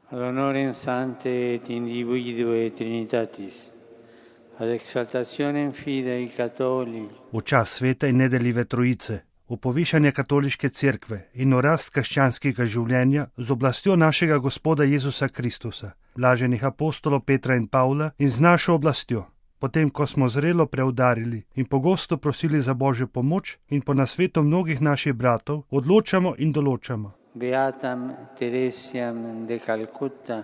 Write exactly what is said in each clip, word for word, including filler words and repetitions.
ad honorem sancte et individue Trinitatis, ad exaltationem fidei Catholici, v čas svete in nedeljive trojice, v povišanje katoliške cerkve in v rast krščanskega življenja z oblastjo našega Gospoda Jezusa Kristusa, blaženih apostolov Petra in Pavla in z našo oblastjo, potem ko smo zrelo preudarili in pogosto prosili za Božjo pomoč in po nasvetu mnogih naših bratov, odločamo in določamo. Beatam Teresiam de Calcutta,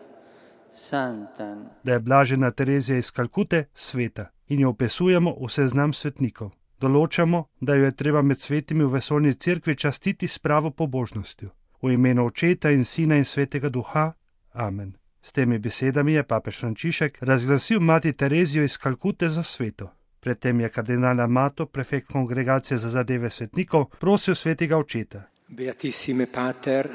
Santam, Da je blažena Terezija iz Kalkute sveta in jo opisujemo v seznam svetnikov. Določamo, da jo je treba med svetimi v vesoljni cerkvi častiti s pravo pobožnostjo. V imenu Očeta in Sina in Svetega Duha. Amen. S temi besedami je papež Frančišek razglasil mati Terezijo iz Kalkute za sveto. Predtem je kardinal Amato, prefekt Kongregacije za zadeve svetnikov, prosil Svetega Očeta. Beatissime Pater,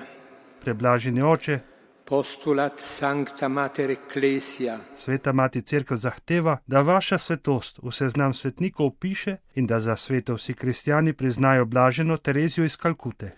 Preblaženi Oče, postulat Sancta Mater Ecclesia, Sveta Mati Cerkev zahteva, da vaša svetost v seznam svetnikov piše in da za sveto vsi kristjani priznajo blaženo Terezijo iz Kalkute.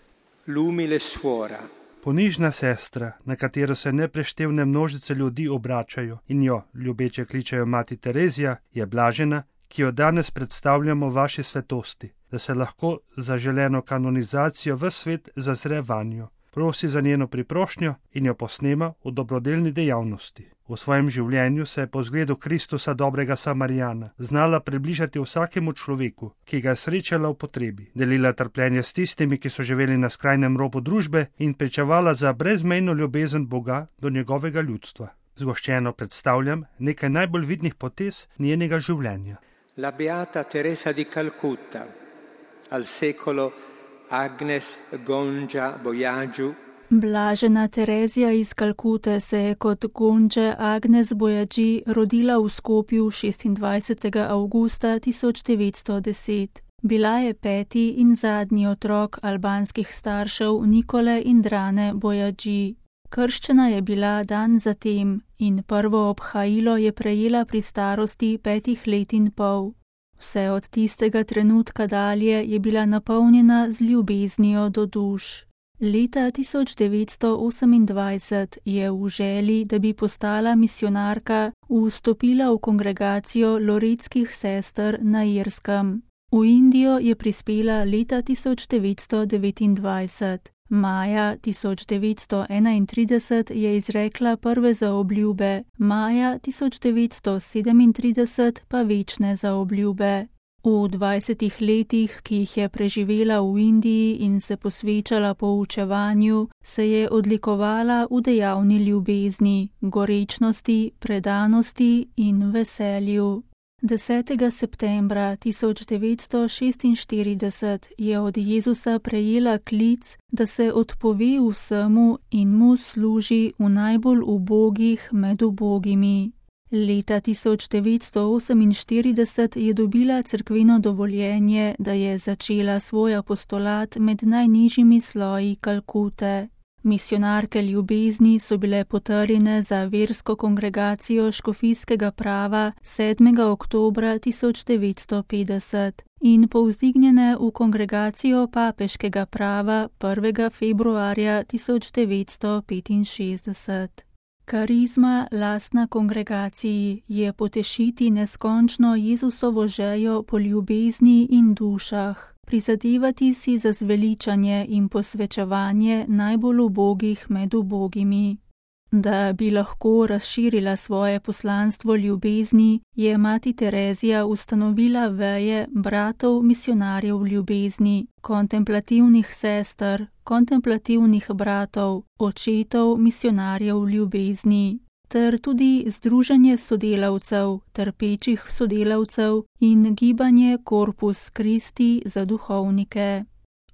l'umile suora, Ponižna sestra, na katero se nepreštevne množice ljudi obračajo in jo ljubeče kličejo Mati Terezija, je blažena, ki jo danes predstavljamo vaši svetosti, da se lahko za želeno kanonizacijo v svet zazre vanjo. Prosi za njeno priprošnjo in jo posnema v dobrodelni dejavnosti. V svojem življenju se je po zgledu Kristusa dobrega Samarijana znala približati vsakemu človeku, ki ga je srečala v potrebi, delila trpljenje s tistimi, ki so živeli na skrajnem robu družbe in pričevala za brezmejno ljubezen Boga do njegovega ljudstva. Zgoščeno predstavljam nekaj najbolj vidnih potez njenega življenja. la Beata Teresa di Calcutta, al secolo Agnes Gongia Bojagiu, Blažena Terezija iz Kalkute se je kot Gonja Agnes Bojaji rodila v Skopju šestindvajsetega avgusta tisoč devetsto deset. Bila je peti in zadnji otrok albanskih staršev Nikole in Drane Bojaji. Krščena je bila dan zatem in prvo obhajilo je prejela pri starosti petih let in pol. Vse od tistega trenutka dalje je bila napolnjena z ljubeznijo do duš. Leta tisoč devetsto osemindvajset je v želji, da bi postala misionarka, vstopila v kongregacijo loretskih sester na Irskem. V Indijo je prispela leta tisoč devetsto devetindvajset. Maja tisoč devetsto enaintrideset je izrekla prve zaobljube, maja tisoč devetsto sedemintrideset pa večne zaobljube. V dvajsetih letih, ki jih je preživela v Indiji in se posvečala poučevanju, se je odlikovala v dejavni ljubezni, gorečnosti, predanosti in veselju. desetega septembra tisoč devetsto šestinštirideset je od Jezusa prejela klic, da se odpove vsemu in mu služi v najbolj ubogih med ubogimi. Leta tisoč devetsto oseminštirideset je dobila cerkveno dovoljenje, da je začela svoj apostolat med najnižjimi sloji Kalkute. Misionarke ljubezni so bile potrjene za versko kongregacijo škofijskega prava sedmega oktobra tisoč devetsto petdeset in povzdignjene v kongregacijo papeškega prava prvega februarja tisoč devetsto petinšestdeset. Karizma lastna kongregaciji je potešiti neskončno Jezusovo željo po ljubezni in dušah, prizadevati si za zveličanje in posvečevanje najbolj ubogih med ubogimi. Da bi lahko razširila svoje poslanstvo ljubezni, je mati Terezija ustanovila veje bratov misionarjev ljubezni, kontemplativnih sester, kontemplativnih bratov, očetov misionarjev ljubezni, ter tudi združenje sodelavcev, trpečih sodelavcev in gibanje Corpus Christi za duhovnike.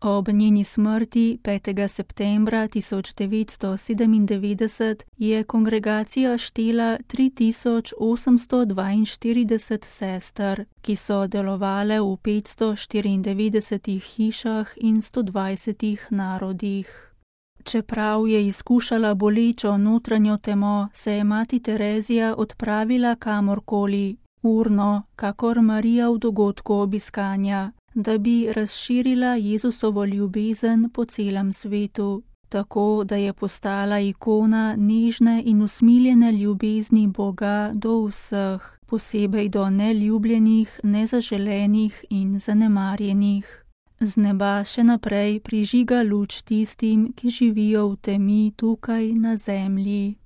Ob njeni smrti petega septembra tisoč devetsto sedemindevetdeset je kongregacija štela tri tisoč osemsto dvainštirideset sester, ki so delovale v petsto štiriindevetdesetih hišah in sto dvajsetih narodih. Čeprav je izkušala bolečo notranjo temo, se je mati Terezija odpravila kamorkoli, urno, kakor Marija v dogodku obiskanja, da bi razširila Jezusovo ljubezen po celem svetu. tako da je postala ikona nežne in usmiljene ljubezni Boga do vseh, posebej do neljubljenih, nezaželenih in zanemarjenih. Z neba še naprej prižiga luč tistim, ki živijo v temi tukaj na zemlji.